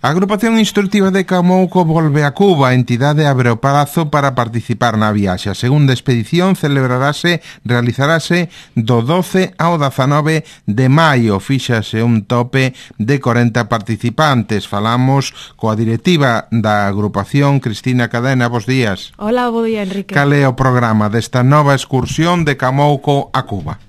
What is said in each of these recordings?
A Agrupación Instructiva de Camouco volve a Cuba. A entidade abre o prazo para participar na viaxe. A segunda expedición realizarase do 12 ao 19 de maio. Fíxase un tope de 40 participantes. Falamos coa directiva da agrupación, Cristina Cadena. Bos días. Hola, bo día, Enrique. Cal é o programa desta nova excursión de Camouco a Cuba?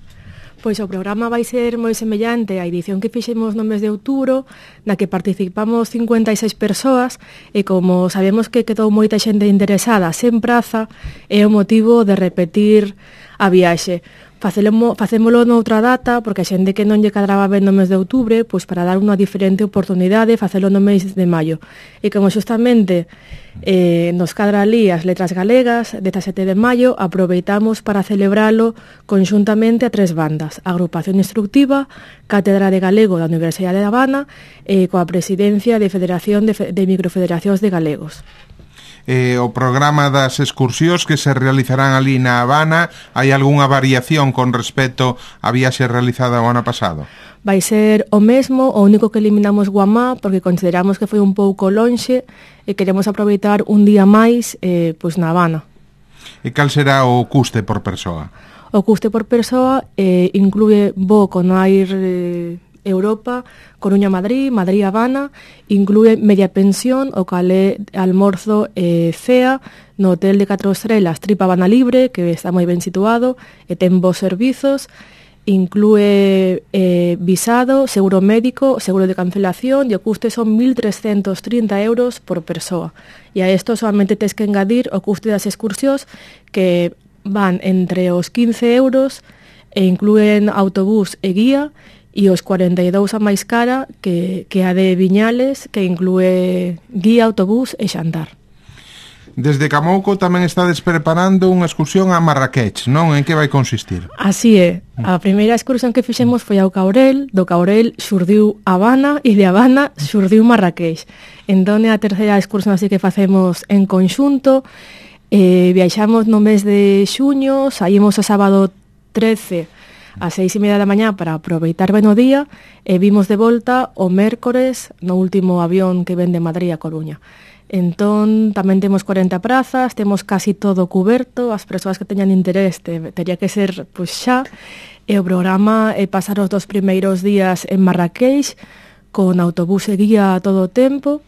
Pois o programa vai ser moi semellante á edición que fixemos no mes de outubro, na que participamos 56 persoas, e como sabemos que quedou moita xente interesada sen praza, é o motivo de repetir a viaxe. Facémolo noutra data, porque a xente que non lle cadraba ben no mes de outubro, pois para dar unha diferente oportunidade, facelo no mes de maio. E como xustamente nos cadra ali as letras galegas, 17 de maio, aproveitamos para celebralo conxuntamente a 3 bandas: a Agrupación Instructiva, Cátedra de Galego da Universidade de Habana e coa presidencia de Federación de Microfederacións de Galegos. O programa das excursións que se realizarán ali na Habana, hai algunha variación con respecto á viaxe realizada o ano pasado? Vai ser o mesmo, o único que eliminamos Guamá, porque consideramos que foi un pouco lonxe e queremos aproveitar un día máis pois na Habana. E cal será o custe por persoa? O custe por persoa inclúe voo con Air Europa, Coruña-Madrid, Madrid-Habana, inclúe media pensión, o cal é almorzo cea no hotel de 4 estrelas Tripa Habana Libre, que está moi ben situado e ten bons servizos, inclúe visado, seguro médico, seguro de cancelación, e o custe son 1.330 euros por persoa. E a isto solamente tes que engadir o custe das excursións, que van entre os 15 euros e inclúen autobús e guía, e os 42 a máis cara que a de Viñales, que inclúe guía, autobús e xantar. Desde Camouco tamén estades preparando unha excursión a Marrakech, non? En que vai consistir? Así é. A primeira excursión que fixemos foi ao Caurel, do Caurel xurdiu Habana e de Habana xurdiu Marrakech. Entón é a terceira excursión así que facemos en conxunto. Viaxamos no mes de xuño, saímos o sábado 13 ás 6:30 da mañá para aproveitar ben o día e vimos de volta o mércores no último avión que ven de Madrid a Coruña. Entón, tamén temos 40 prazas, temos casi todo cuberto, as persoas que teñan interés teria que ser pois xa, e o programa é pasar os 2 primeiros días en Marrakech con autobús e guía todo o tempo,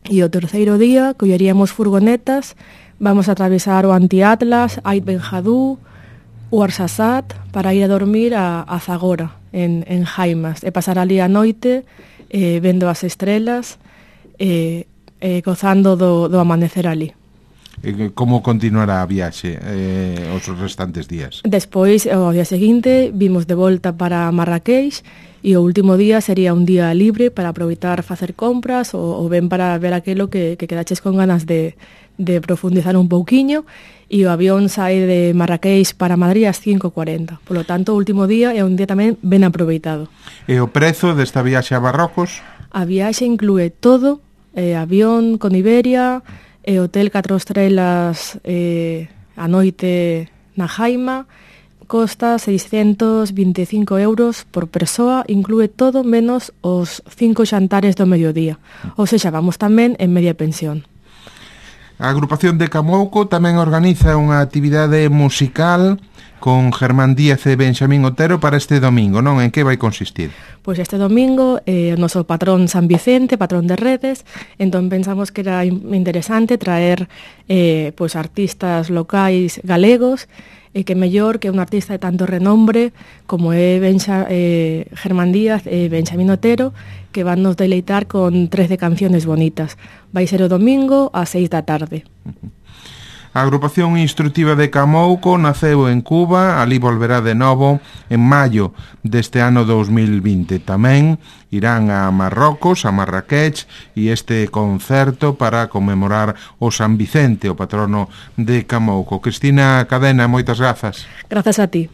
e o terceiro día colleríamos furgonetas, vamos a atravesar o Anti-Atlas, Ait Ben Haddou, o Arsasat, para ir a dormir a Zagora, en Jaimas, e pasar ali a noite vendo as estrelas, gozando do amanecer ali. Como continuará a viaxe os restantes días? Despois, ao día seguinte, vimos de volta para Marrakech, e o último día sería un día libre para aproveitar facer compras ou ben para ver aquilo que quedaches con ganas de profundizar un pouquiño, e o avión sae de Marrakech para Madrid ás 5:40. Por lo tanto, o último día é un día tamén ben aproveitado. E o prezo desta viaxe a Marrocos? A viaxe inclúe todo, avión con Iberia, hotel 4 estrelas a noite na Jaima, costa 625 euros por persoa, inclúe todo menos os 5 xantares do mediodía. Ou seja, vamos tamén en media pensión. A Agrupación de Camouco tamén organiza unha actividade musical con Germán Díaz e Benxamín Otero para este domingo, non? En que vai consistir? Pois este domingo o noso patrón San Vicente, patrón de redes, entón pensamos que era interesante traer pois artistas locais galegos, e que mellor que un artista de tanto renombre como é Germán Díaz e Benxamín Otero, que van nos deleitar con 13 canciones bonitas. Vai ser o domingo ás 6 da tarde. A Agrupación Instructiva de Camouco naceu en Cuba, ali volverá de novo en maio deste ano 2020. Tamén irán a Marrocos, a Marrakech, e este concerto para conmemorar o San Vicente, o patrono de Camouco. Cristina Cadena, moitas grazas. Grazas a ti.